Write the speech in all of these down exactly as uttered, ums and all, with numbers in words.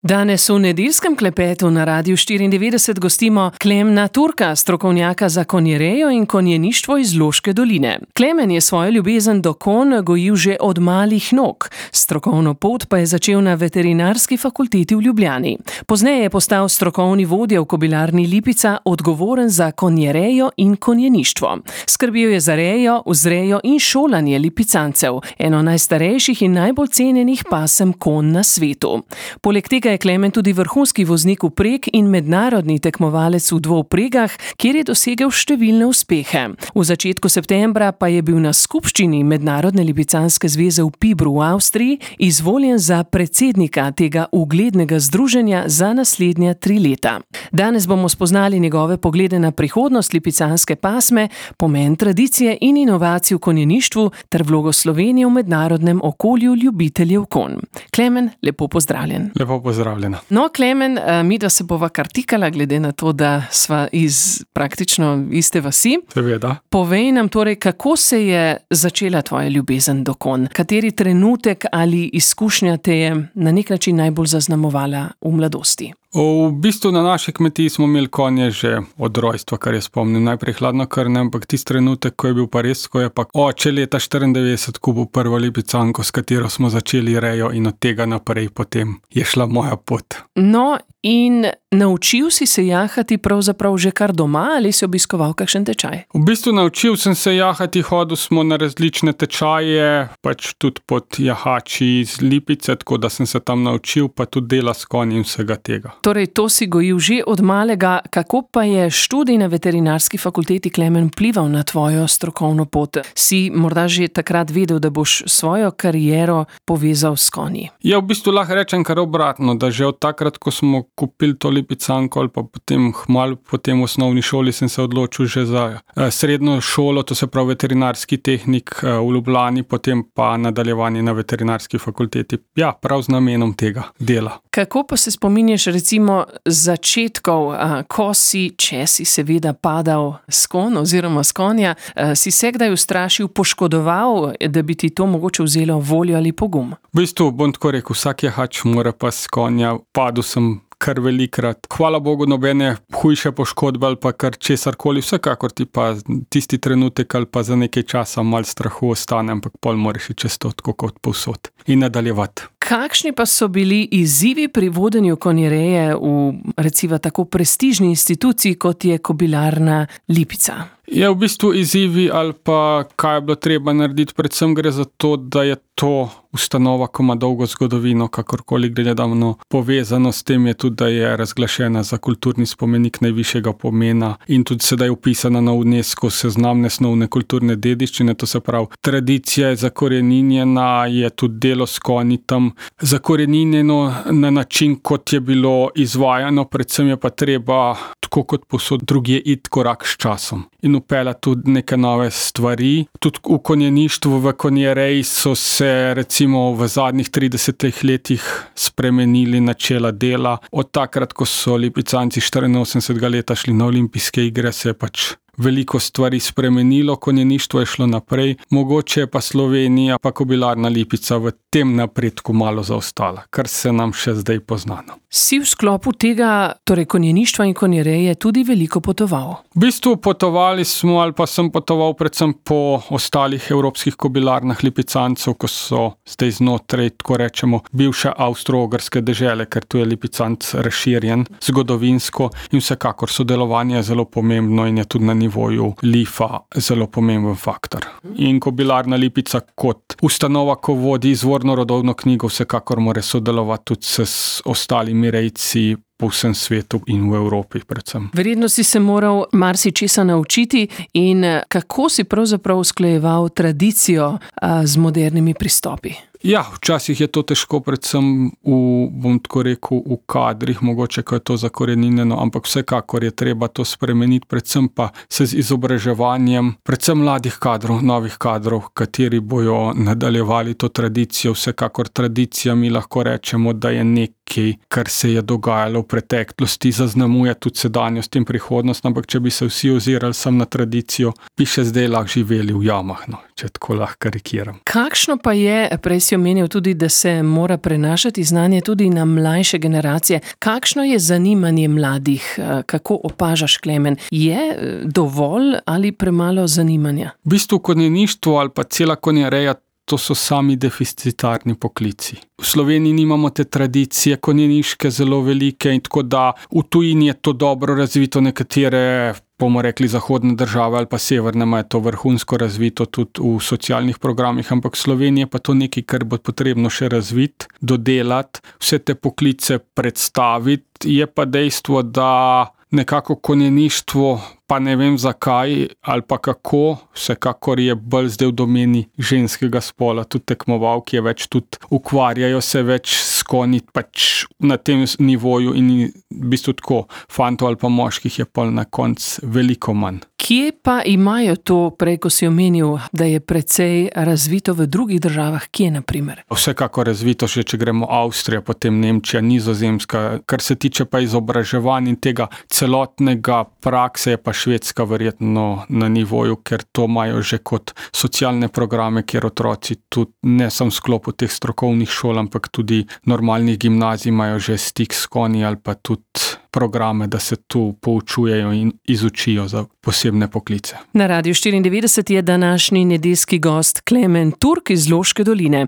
Danes v nedeljskem klepetu na Radiu štiriindevetdeset gostimo Klemna Turka, strokovnjaka za konjerejo in konjeništvo iz Loške doline. Klemen je svojo ljubezen do konj gojil že od malih nog. Strokovno pot pa je začel na veterinarski fakulteti v Ljubljani. Pozneje je postal strokovni vodja v kobilarni Lipica, odgovoren za konjerejo in konjeništvo. Skrbel je za rejo, vzrejo in šolanje lipicancev, eno najstarejših in najbolj cenjenih pasem konj na svetu. Poleg tega je Klemen tudi vrhunski voznik vpreg in mednarodni tekmovalec v dvovpregah, kjer je dosegel številne uspehe. V začetku septembra pa je bil na skupščini Mednarodne lipicanske zveze v Pibru v Avstriji izvoljen za predsednika tega uglednega združenja za naslednja tri leta. Danes bomo spoznali njegove poglede na prihodnost lipicanske pasme, pomen tradicije in inovacij v konjeništvu ter vlogo Slovenije v mednarodnem okolju ljubiteljev konj. Klemen, lepo pozdravljen. Lepo pozdravljena. No, Klemen, mi da se bova kartikala, glede na to, da sva iz praktično iste vasi. Seveda. Povej nam torej, kako se je začela tvoja ljubezen do konj? Kateri trenutek ali izkušnja te je na nek način najbolj zaznamovala v mladosti? V bistvu na naši kmetiji smo imeli konje že od rojstva, kar je spomnim. Najprej hladnokrvne, ampak tisti trenutek, ko je bil pa res, ko je pa oče leta štiriindevetdeset kupil prvo lipicanko, s katero smo začeli rejo, in od tega naprej potem je šla moja pot. No, in naučil si se jahati pravzaprav že kar doma ali si obiskoval kakšen tečaj? V bistvu naučil sem se jahati, hodil smo na različne tečaje, pač tudi pod jahači iz Lipice, tako da sem se tam naučil, pa tudi dela s konji in vsega tega. Torej, to si gojil že od malega. Kako pa je študij na veterinarski fakulteti, Klemen, vplival na tvojo strokovno pot? Si morda že takrat vedel, da boš svojo kariero povezal s konji? Ja, v bistvu lahko rečem kar obratno, da že od takrat, ko smo kupili to lipicanko ali pa potem hmalu potem v osnovni šoli, sem se odločil že za eh, srednjo šolo, to se pravi veterinarski tehnik eh, v Ljubljani, potem pa nadaljevanje na veterinarski fakulteti. Ja, prav z namenom tega dela. Kako pa se spominješ recimo začetkov, a, ko si, če si seveda padal s konj oziroma s konja, a, si se kdaj ustrašil, poškodoval, da bi ti to mogoče vzelo voljo ali pogum? V bistvu bom tako rekel, vsak jahač mora pa s konja, padel sem kar velikrat. Hvala Bogu, nobene hujše poškodbe ali pa kar česarkoli, vsekakor ti pa tisti trenutek ali pa za nekaj časa malo strahu ostane, ampak pol moraš iti čez to tako kot povsod in nadaljevati. Kakšni pa so bili izzivi pri vodenju konjereje v recimo tako prestižni instituciji, kot je kobilarna Lipica? Je v bistvu izzivi ali pa kaj je bilo treba narediti, predvsem gre za to, da je to ustanova, ko ima dolgo zgodovino, kakorkoli gledano povezano s tem, je tudi, da je razglašena za kulturni spomenik najvišjega pomena in tudi sedaj upisana na UNESCO seznam nesnovne kulturne dediščine, to se pravi, tradicija je zakoreninjena, je tudi delo s konji tam zakoreninjeno na način, kot je bilo izvajano, predvsem je pa treba, tako kot posod drugje, iti korak s časom in upeljati tudi neke nove stvari. Tudi v konjeništvu, v konjereji so se recimo v zadnjih tridesetih letih spremenili načela dela. Od takrat, ko so lipicanci štiriinosemdesetega leta šli na olimpijske igre, se je pač veliko stvari spremenilo, konjeništvo je šlo naprej, mogoče je pa Slovenija pa kobilarna Lipica v tem napredku malo zaostala, kar se nam še zdaj poznano. Si v sklopu tega, torej konjeništva in konjereje, tudi veliko potoval? V bistvu potovali smo ali pa sem potoval predvsem po ostalih evropskih kobilarnah lipicancev, ko so zdaj znotraj, tako rečemo, bivše avstro-ogrske dežele, ker tu je lipicanc razširjen zgodovinsko in vsekakor sodelovanje je zelo pomembno in je tudi na nivoju Lifa zelo pomemben faktor. In kobilarna Lipica kot ustanova, ko vodi izvorno rodovno knjigo, vsekakor mora sodelovati tudi s ostalimi rejci po vsem svetu in v Evropi predvsem. Verjetno si se moral marsičesa naučiti in kako si pravzaprav usklajeval tradicijo a, z modernimi pristopi? Ja, včasih je to težko, predvsem v, bom tako rekel, v kadrih, mogoče, ko je to zakoreninjeno, ampak vsekakor je treba to spremeniti, predvsem pa se z izobraževanjem, predvsem mladih kadrov, novih kadrov, kateri bojo nadaljevali to tradicijo. Vsekakor tradicija, mi lahko rečemo, da je nekaj, kar se je dogajalo v preteklosti, zaznamuje tudi sedanjost in prihodnost, ampak če bi se vsi ozirali sam na tradicijo, bi še zdaj lahko živeli v jamah, no. če tako lahko karikiram. Kakšno pa je, prej si omenil tudi, da se mora prenašati znanje tudi na mlajše generacije. Kakšno je zanimanje mladih? Kako opažaš, Klemen? Je dovolj ali premalo zanimanja? V bistvu konjeništvo ali pa cela konjereja, to so sami deficitarni poklici. V Sloveniji nimamo te tradicije konjeniške zelo velike in tako da v tujini je to dobro razvito, nekatere, bomo rekli, zahodne države ali pa severne imajo to vrhunsko razvito tudi v socialnih programih, ampak v Sloveniji je pa to nekaj, kar bo potrebno še razviti, dodelati, vse te poklice predstaviti. Je pa dejstvo, da nekako konjeništvo, pa ne vem zakaj ali pa kako, vsekakor je bolj zdaj v domeni ženskega spola, tudi tekmovalke je več, tudi ukvarjajo se več s konji pač na tem nivoju in v bistvu tako fantov ali pa moških je pa na koncu veliko manj. Kje pa imajo to, prej ko si omenil, da je precej razvito v drugih državah, kje na primer? Vsekako razvito, še če gremo Avstrija, potem Nemčija, Nizozemska, kar se tiče pa izobraževanja in tega celotnega prakse, je pa Švedska verjetno na nivoju, ker to imajo že kot socialne programe, kjer otroci tudi ne samo v sklopu teh strokovnih šol, ampak tudi normalnih gimnazij imajo že stik s konji ali pa tudi programe, da se tu poučujejo in izučijo za posebne poklice. Na Radiu štiriindevetdeset je današnji nedeljski gost Klemen Turk iz Loške doline.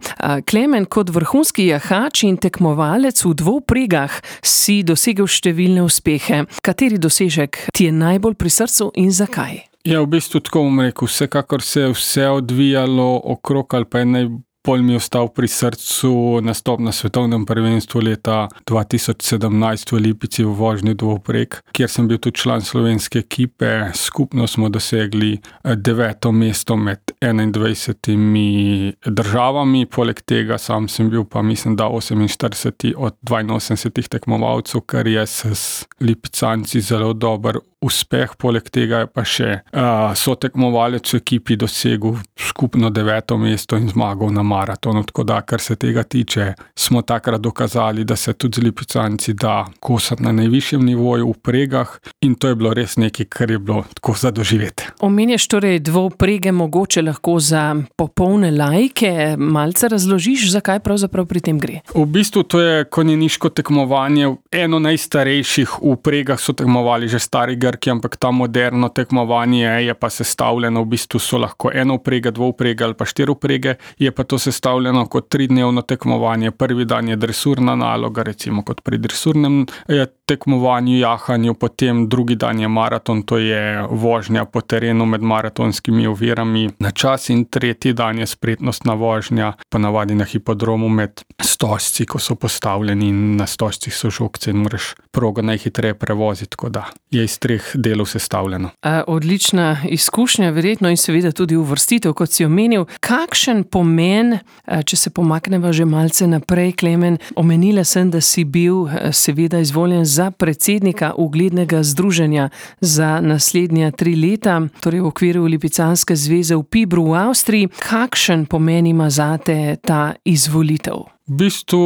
Klemen, kot vrhunski jahač in tekmovalec v dvovpregah si dosegel številne uspehe. Kateri dosežek ti je najbolj pri srcu in zakaj? Ja, v bistvu tako bom rekel, vsekakor se je vse odvijalo okrog ali pa je naj Pol mi je ostal pri srcu nastop na svetovnem prvenstvu leta dva tisoč sedemnajst v Lipici v vožnji dvovpreg, kjer sem bil tudi član slovenske ekipe. Skupno smo dosegli deveto mesto med enaindvajsetimi državami, poleg tega sam sem bil pa mislim, da oseminštirideseti od dvainosemdesetih tekmovalcev, kar je s Lipicanci zelo dober uspeh. Poleg tega je pa še uh, sotekmovalec v ekipi dosegel skupno deveto mesto in zmagal na maratonu, tako da, kar se tega tiče, smo takrat dokazali, da se tudi z Lipicanci da kosati na najvišjem nivoju v pregah in to je bilo res nekaj, kar je bilo tako za doživeti. Omenjaš torej dvovprege, mogoče lahko za popolne laike, malce razložiš, zakaj pravzaprav pri tem gre? V bistvu to je konjeniško tekmovanje, eno najstarejših. V pregah so tekmovali že stari Grki, ampak ta moderno tekmovanje je pa sestavljeno, v bistvu so lahko enovprege, dvovprege ali pa štirivrege, je pa to sestavljeno kot tridnevno tekmovanje. Prvi dan je dresurna naloga, recimo kot pri dresurnem tekmovanju, jahanju, potem drugi dan je maraton, to je vožnja po terenu med maratonskimi ovirami na čas in tretji dan je spretnostna vožnja, ponavadi na hipodromu med stožci, ko so postavljeni in na stožcih so žogce in moraš progo najhitreje prevoziti, tako da je iz treh delov sestavljeno. A, odlična izkušnja, verjetno in seveda tudi uvrstitev, kot si omenil. Kakšen pomen, če se pomakneva že malce naprej, Klemen, omenila sem, da si bil seveda izvoljen za predsednika uglednega združenja za naslednja tri leta, torej v okviru Lipicanske zveze v Pibru v Avstriji. Kakšen pomen ima zate ta izvolitev? V bistvu,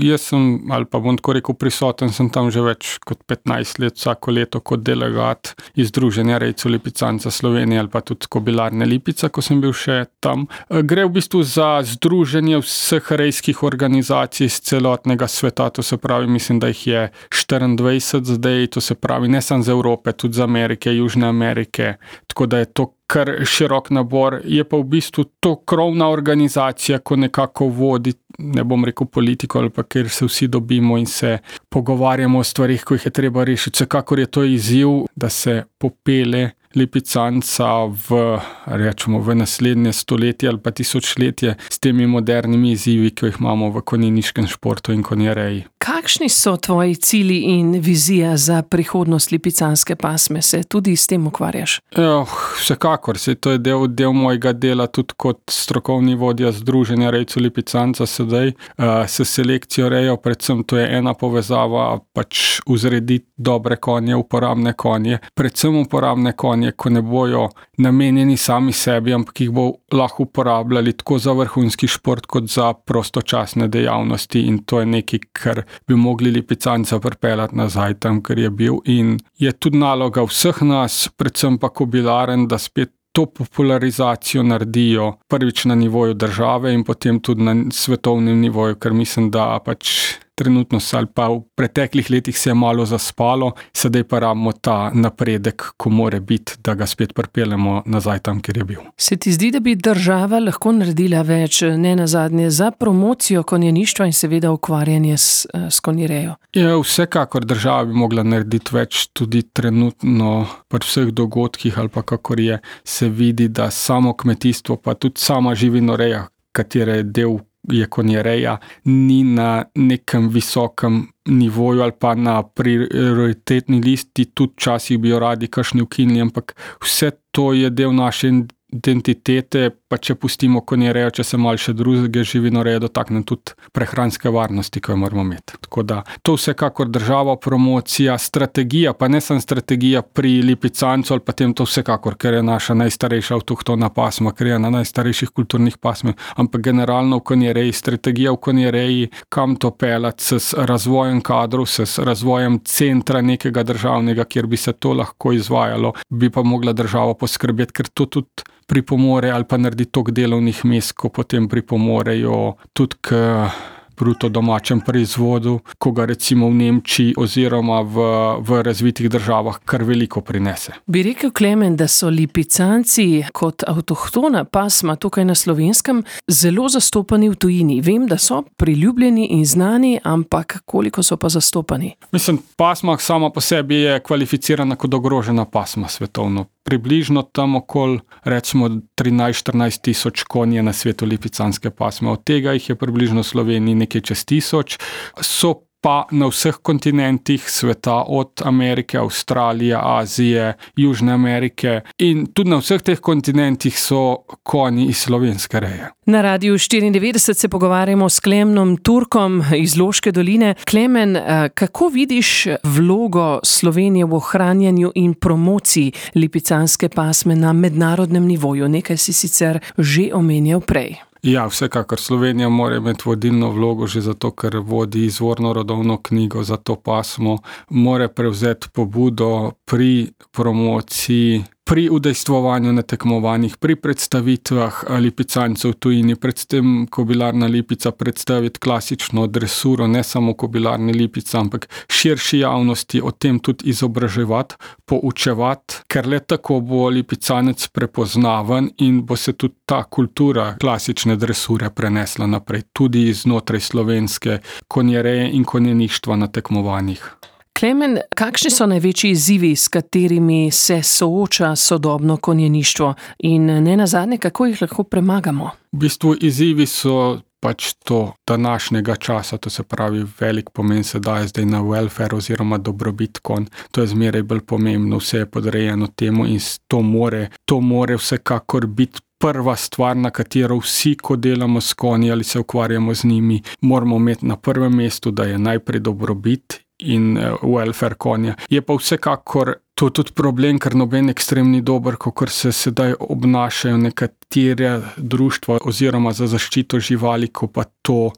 jaz sem, ali pa bom tako rekel, prisoten, sem tam že več kot petnajst let, vsako leto kot delegat iz Združenja rejcev Lipicanca Slovenije ali pa tudi Kobilarne Lipica, ko sem bil še tam. Gre v bistvu za združenje vseh rejskih organizacij iz celotnega sveta, to se pravi, mislim, da jih je štiriindvajset zdaj, to se pravi, ne samo z Evrope, tudi z Amerike, Južne Amerike, tako da je to kar širok nabor. Je pa v bistvu to krovna organizacija, ko nekako vodi, ne bom rekel politiko, ali pa kjer se vsi dobimo in se pogovarjamo o stvarih, ko jih je treba rešiti. Vsekakor je to izziv, da se popele Lipicanca v, rečemo, v naslednje stoletje ali pa tisočletje s temi modernimi izzivi, ki jih imamo v konjeniškem športu in konjereji. Kakšni so tvoji cilji in vizija za prihodnost lipicanske pasme? Se tudi s tem ukvarjaš? Jo, vsekakor, se to je del, del mojega dela tudi kot strokovni vodja Združenja rejcev Lipicanca sedaj. Uh, s selekcijo rejo, predvsem to je ena povezava, pač vzrediti dobre konje, uporabne konje, predvsem uporabne konje, ko ne bojo namenjeni sami sebi, ampak jih bo lahko uporabljali tako za vrhunski šport, kot za prostočasne dejavnosti in to je nekaj, kar bi mogli Lipicanca pripeljati nazaj tam, kjer je bil in je tudi naloga vseh nas, predvsem pa kobilaren, da spet to popularizacijo naredijo prvič na nivoju države in potem tudi na svetovnem nivoju, ker mislim, da pač trenutno se ali pa v preteklih letih se je malo zaspalo, sedaj pa rabimo ta napredek, ko more biti, da ga spet pripeljemo nazaj tam, kjer je bil. Se ti zdi, da bi država lahko naredila več, ne nazadnje, za promocijo konjeništva in seveda ukvarjanje s, s konjerejo? Ja, vsekakor država bi mogla narediti več, tudi trenutno pri vseh dogodkih ali pa kakor je, se vidi, da samo kmetijstvo pa tudi sama živinoreja, katere del je konjereja, ni na nekem visokem nivoju ali pa na prioritetni listi, tudi včasih bi jo radi kakšni ukinili, ampak vse to je del naše identitete, pa če pustimo konjerejo, če se malo še druge živinoreje dotakne, tudi prehranske varnosti, ko jo moramo imeti. Tako da to vsekakor država, promocija, strategija, pa ne samo strategija pri lipicancu ali pa tem to vsekakor, ker je naša najstarejša avtohtona pasma, ker je ena najstarejših kulturnih pasmev, ampak generalno v konjereji, strategija v konjereji, kam to peljati s razvojem kadrov, s razvojem centra nekega državnega, kjer bi se to lahko izvajalo, bi pa mogla država poskrbeti, ker to tudi pripomore ali pa naredi toliko delovnih mest, ko potem pripomorejo tudi k bruto domačem proizvodu, ko ga recimo v Nemčiji oziroma v, v razvitih državah kar veliko prinese. Bi rekel, Klemen, da so lipicanci kot avtohtona pasma tukaj na Slovenskem zelo zastopani v tujini. Vem, da so priljubljeni in znani, ampak koliko so pa zastopani? Mislim, pasma sama po sebi je kvalificirana kot ogrožena pasma svetovno. Približno tam okoli, recimo trinajst štirinajst tisoč konj je na svetu lipicanske pasme. Od tega jih je približno v Sloveniji nekaj čez tisoč. So pa na vseh kontinentih sveta, od Amerike, Avstralije, Azije, Južne Amerike in tudi na vseh teh kontinentih so konji iz slovenske reje. Na Radiu štiriindevetdeset se pogovarjamo s Klemnom Turkom iz Loške doline. Klemen, kako vidiš vlogo Slovenije v ohranjanju in promociji lipicanske pasme na mednarodnem nivoju? Nekaj si sicer že omenjal prej. Ja, vsekakor Slovenija mora imeti vodilno vlogo že zato, ker vodi izvorno rodovno knjigo za to pasmo, mora prevzeti pobudo pri promociji, pri udejstvovanju na tekmovanjih, pri predstavitvah lipicancev v tujini, predvsem kobilarna lipica predstaviti klasično dresuro, ne samo kobilarni lipica, ampak širši javnosti o tem tudi izobraževati, poučevati, ker le tako bo lipicanec prepoznaven in bo se tudi ta kultura klasične dresure prenesla naprej, tudi znotraj slovenske konjereje in konjeništva na tekmovanjih. Klemen, kakšni so največji izzivi, s katerimi se sooča sodobno konjeništvo in ne nazadnje, kako jih lahko premagamo? V bistvu izzivi so pač to današnjega časa, to se pravi velik pomen se daje zdaj na welfare oziroma dobrobit konj. To je zmeraj bolj pomembno, vse je podrejeno temu in to more, to more vsekakor biti prva stvar, na katero vsi, ko delamo s konji ali se ukvarjamo z njimi, moramo imeti na prvem mestu, da je najprej dobrobit in welfare konja. Je pa vsekakor to tudi problem, ker noben ekstrem ni dober, kakor se sedaj obnašajo nekatere društva oziroma za zaščito živali, ko pa to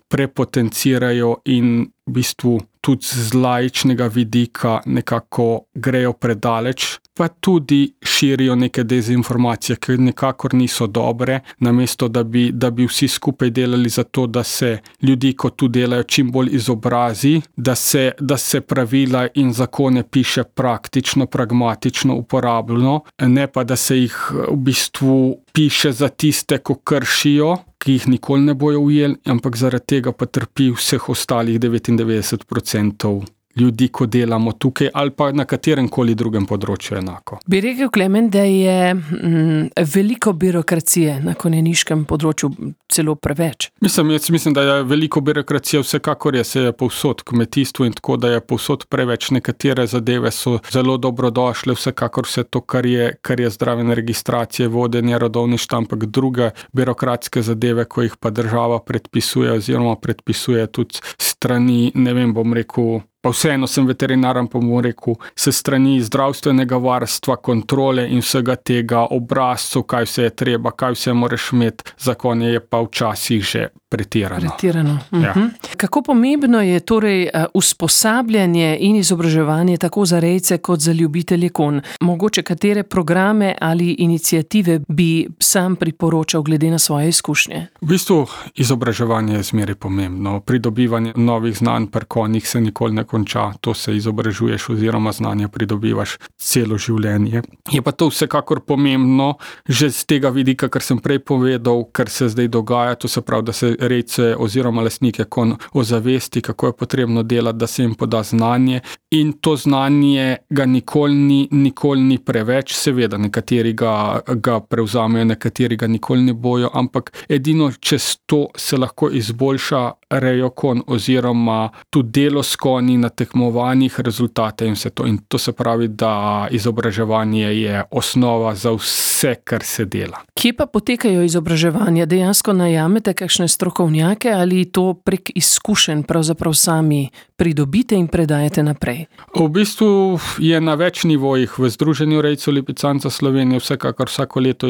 prepotencirajo in v bistvu tudi z laičnega vidika nekako grejo predaleč, pa tudi širijo neke dezinformacije, ki nekakor niso dobre, namesto da bi, da bi vsi skupaj delali za to, da se ljudi, ko tu delajo, čim bolj izobrazi, da se, da se pravila in zakone piše praktično, pragmatično, uporabljeno, ne pa da se jih v bistvu piše za tiste, ko kršijo, ki jih nikoli ne bojo ujeli, ampak zaradi tega pa trpi vseh ostalih devetindevetdeset procentov ljudi, ko delamo tukaj ali pa na katerem koli drugem področju enako. Bi rekel, Klemen, da je mm, veliko birokracije na konjeniškem področju, celo preveč? Mislim, jaz mislim, da je veliko birokracije, vsekakor je, se je povsod kmetijstvo in tako, da je povsod preveč. Nekatere zadeve so zelo dobrodošle, vsekakor vse to, kar je, kar je zdraven registracije, vodenje rodovništva, ampak druge birokratske zadeve, ko jih pa država predpisuje oziroma predpisuje tudi strani, ne vem, bom rekel, pa vseeno sem veterinaren, pa bom rekel, se strani zdravstvenega varstva, kontrole in vsega tega obrazcev, kaj vse je treba, kaj vse moraš imeti, za konje je pa včasih že pretirano. Pretirano. Ja. Uh-huh. Kako pomembno je torej usposabljanje in izobraževanje tako za rejce kot za ljubitelje konj? Mogoče katere programe ali iniciative bi sam priporočal glede na svoje izkušnje? V bistvu izobraževanje je zmeraj pomembno. Pridobivanje novih znanj pri konjih se nikoli ne konča. To se izobražuješ oziroma znanje pridobivaš celo življenje. Je pa to vsekakor pomembno že z tega vidika, kar sem prej povedal, kar se zdaj dogaja, to se pravi, da se rejce oziroma lastnike konj ozavesti, kako je potrebno delati, da se jim poda znanje. In to znanje ga nikoli ni, nikoli ni preveč, seveda nekateri ga, ga prevzamejo, nekateri ga nikoli ne bojo, ampak edino čez to se lahko izboljša rejo konj oziroma tudi delo s konji na tekmovanjih, rezultate in vse to. In to se pravi, da izobraževanje je osnova za vse, kar se dela. Kje pa potekajo izobraževanja? Dejansko najamete kakšne strokovnjake ali to prek izkušenj pravzaprav sami pridobite in predajete naprej? V bistvu je na več nivojih. V Združenju rejcev lipicanca Slovenije vsekakor vsako leto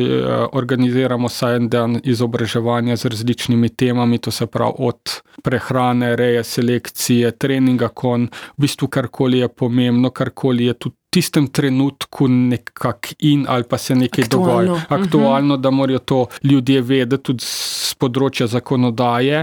organiziramo vsaj en dan izobraževanja z različnimi temami, to se pravi od prehrane, reje, selekcije, treninga konj, v bistvu karkoli je pomembno, karkoli je tudi v tistem trenutku nekak in ali pa se nekaj dogaja. Aktualno, da morajo to ljudje vedeti tudi z področja zakonodaje.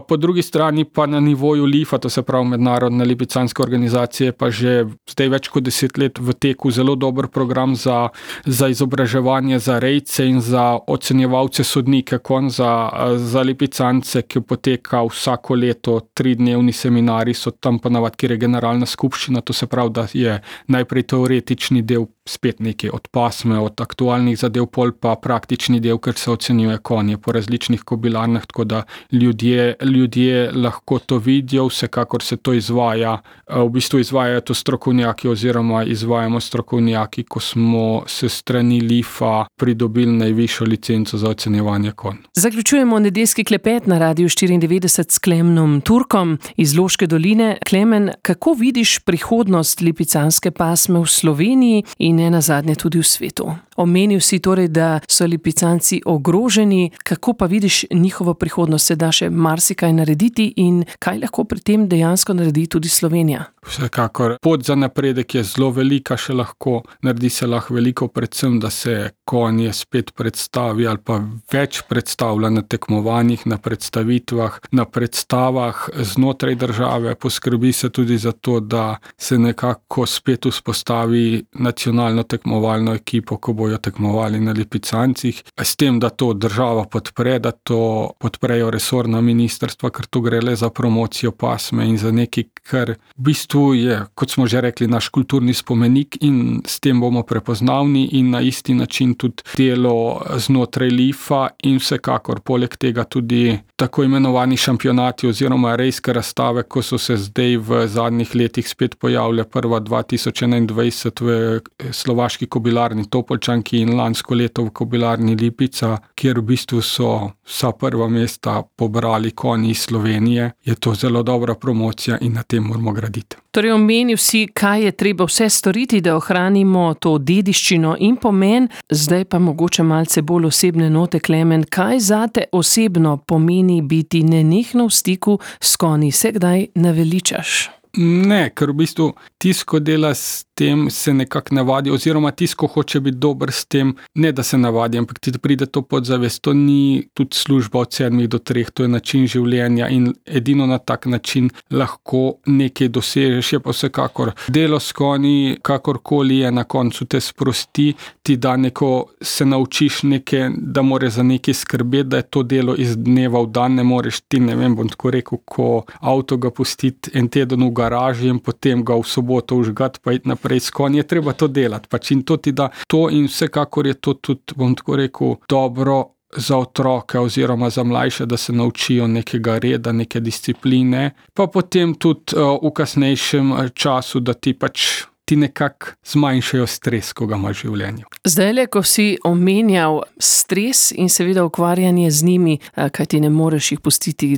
Po drugi strani pa na nivoju L I F-a, to se pravi Mednarodne lipicanske organizacije, pa že zdaj več kot deset let v teku zelo dober program za, za izobraževanje za rejce in za ocenjevalce sodnike konj, za, za lipicance, ki poteka vsako leto tridnevni seminari, so tam ponavadi, kjer je generalna skupščina, to se pravi, da je najprej teoretični del spet nekaj od pasme, od aktualnih zadev, pol pa praktični del, ker se ocenjuje konje po različnih kobilarnah, tako da ljudje, ljudje lahko to vidijo, vsekakor se to izvaja. V bistvu izvajajo to strokovnjaki oziroma izvajamo strokovnjaki, ko smo se strani L I F-a pridobili najvišjo licenco za ocenjevanje konj. Zaključujemo nedeljski klepet na Radiu štiriindevetdeset s Klemnom Turkom iz Loške doline. Klemen, kako vidiš prihodnost lipicanske pasme v Sloveniji in ne nazadnje tudi v svetu? Omenil si torej, da so lipicanci ogroženi, kako pa vidiš njihovo prihodnost? Se da še marsikaj narediti in kaj lahko pri tem dejansko naredi tudi Slovenija? Vsekakor. Pot za napredek je zelo velika, še lahko naredi se lahko veliko, predvsem, da se konje spet predstavi ali pa več predstavlja na tekmovanjih, na predstavitvah, na predstavah znotraj države. Poskrbi se tudi za to, da se nekako spet vzpostavi nacionalno tekmovalno ekipo, ko bojo tekmovali na lipicancih, s tem, da to država podpre, da to podprejo resorna ministrstva, ker to gre le za promocijo pasme in za nekaj, kar v bistvu je, kot smo že rekli, naš kulturni spomenik in s tem bomo prepoznavni in na isti način tudi delo znotraj L I F-a in vsekakor poleg tega tudi tako imenovani šampionati oziroma rejske razstave, ko so se zdaj v zadnjih letih spet pojavile prva dva tisoč enaindvajset v slovaški kobilarni Topolčanki in lansko leto v kobilarni Lipica, kjer v bistvu so vsa prva mesta pobrali konji iz Slovenije. Je to zelo dobra promocija in na tem moramo graditi. Torej omenil si, kaj je treba vse storiti, da ohranimo to dediščino in pomen. Zdaj pa mogoče malce bolj osebne note, Klemen. Kaj zate osebno pomeni biti nenehno v stiku s konji? Se kdaj naveličaš? Ne, ker v bistvu tisto dela s tem se nekako navadi, oziroma tisto hoče biti dober s tem, ne da se navadi, ampak ti pride to podzavest. To ni tudi služba od sedmih do treh, to je način življenja in edino na tak način lahko nekaj dosežeš. Je pa vsekakor delo s konji, kakorkoli je, na koncu te sprosti, ti da neko, se naučiš nekaj, da moraš za nekaj skrbeti, da je to delo iz dneva v dan, ne moreš ti, ne vem, bom tako rekel, ko avto ga pustiti en teden v garaži in potem ga v soboto užgati pa iti naprej s konji, je treba to delati. Pač in to ti da to in vsekakor je to tudi, bom tako rekel, dobro za otroke oziroma za mlajše, da se naučijo nekega reda, neke discipline, pa potem tudi uh, v kasnejšem času, da ti pač ti nekako zmanjšajo stres, ko ga imaš v življenju. Zdajle, ko si omenjal stres in seveda ukvarjanje z njimi, kaj ti ne moreš jih pustiti,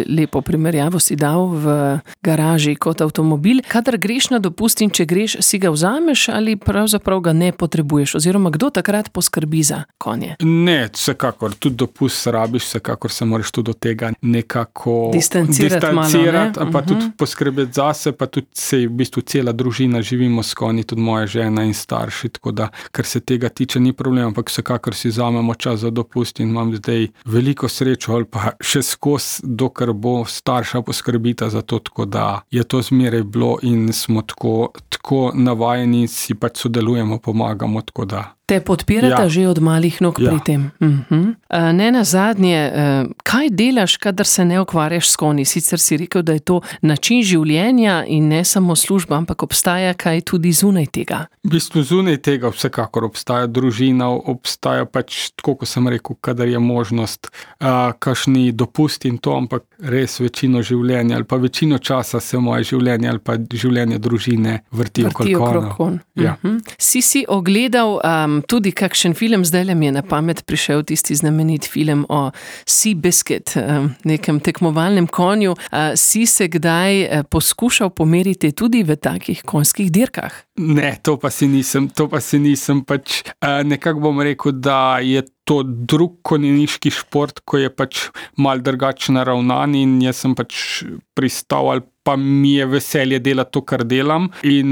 lepo primerjavo si dal v garaži kot avtomobil. Kadar greš na dopust in če greš, si ga vzameš ali pravzaprav ga ne potrebuješ? Oziroma, kdo takrat poskrbi za konje? Ne, vsekakor. Tudi dopust rabiš, vsekakor se moraš tudi do tega nekako distancirati, distancirati malo, pa uh-huh. tudi poskrbeti zase, pa tudi se v bistvu cela družina živimo s konji, tudi moja žena in starši, tako da, kar se tega tiče, ni problem, ampak vsekakor si vzamemo čas za dopust in imam zdaj veliko srečo ali pa še skozi, dokler bo starša poskrbita za to, tako da je to zmeraj bilo in smo tako, tako navajeni, si pač sodelujemo, pomagamo, tako da. Te podpirata ja. že od malih nog ja. pri tem. Uh-huh. Ne nazadnje, kaj delaš, kadar se ne ukvarjaš s konji? Sicer si rekel, da je to način življenja in ne samo služba, ampak obstaja kaj tudi zunaj tega? V bistvu zunaj tega vsekakor obstaja družina, obstaja pač, tako ko sem rekel, kadar je možnost, uh, kakšni dopust in to, ampak res večino življenja ali pa večino časa se moje življenje ali pa življenje družine vrti, vrti okrog konj. Ja. Uh-huh. Si si ogledal um, tudi kakšen film, zdaj mi je na pamet prišel tisti znamenit film o Seabiscuit, nekem tekmovalnem konju. Si se kdaj poskušal pomeriti tudi v takih konjskih dirkah? Ne, to pa si nisem, to pa si nisem pač, nekako bom rekel, da je to drug konjeniški šport, ko je pač malo drugače naravnan in jaz sem pač pristal ali pa mi je veselje delati to, kar delam in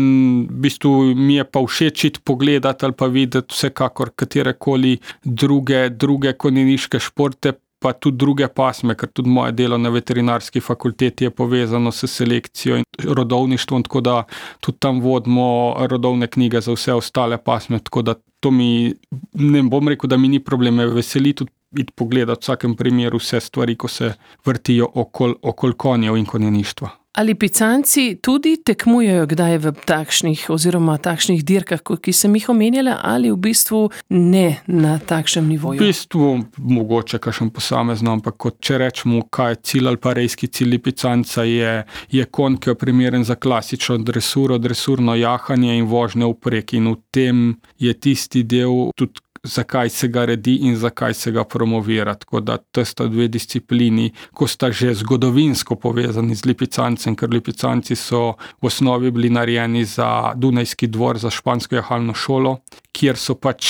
v bistvu mi je pa všeč pogledati ali pa videti vsekakor katerekoli druge, druge konjeniške športe, pa tudi druge pasme, ker tudi moje delo na veterinarski fakulteti je povezano s selekcijo in rodovništvom, tako da tudi tam vodimo rodovne knjige za vse ostale pasme, tako da to mi, ne bom rekel, da mi ni problem, me veseli tudi iti pogledati v vsakem primeru vse stvari, ko se vrtijo okoli okol konjev in konjeništva. Ali picanci tudi tekmujejo kdaj v takšnih oziroma takšnih dirkah, ki sem jih omenjala, ali v bistvu ne na takšnem nivoju? V bistvu mogoče kakšen posamezno, ampak kot če rečemo, kaj je cilj ali pa rejski cilj picanca, je, je konj, ki je primeren za klasično dresuro, dresurno jahanje in vožnje vprek in v tem je tisti del tudi zakaj se ga redi in zakaj se ga promovira. Tako da to sta dve disciplini, ko sta že zgodovinsko povezani z lipicancem, ker lipicanci so v osnovi bili narejeni za Dunajski dvor, za špansko jahalno šolo, kjer so pač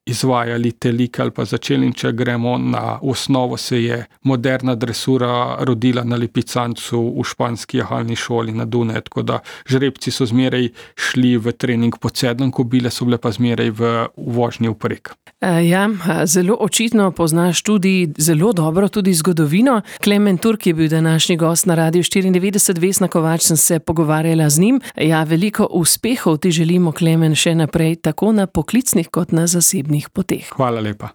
izvajali te like ali pa začeli in če gremo na osnovo, se je moderna dresura rodila na lipicancu v španski jahalni šoli na Dunaju, tako da žrebci so zmeraj šli v trening pod sedem, kobile so bile pa zmeraj v vožnji vprek. Ja, zelo očitno poznaš tudi zelo dobro tudi zgodovino. Klemen Turk je bil današnji gost na Radiu štiriindevetdeset, Vesna Kovač sem se pogovarjala z njim. Ja, veliko uspehov ti želimo, Klemen, še naprej, tako na poklicnih kot na zasebnih poteh. Hvala lepa.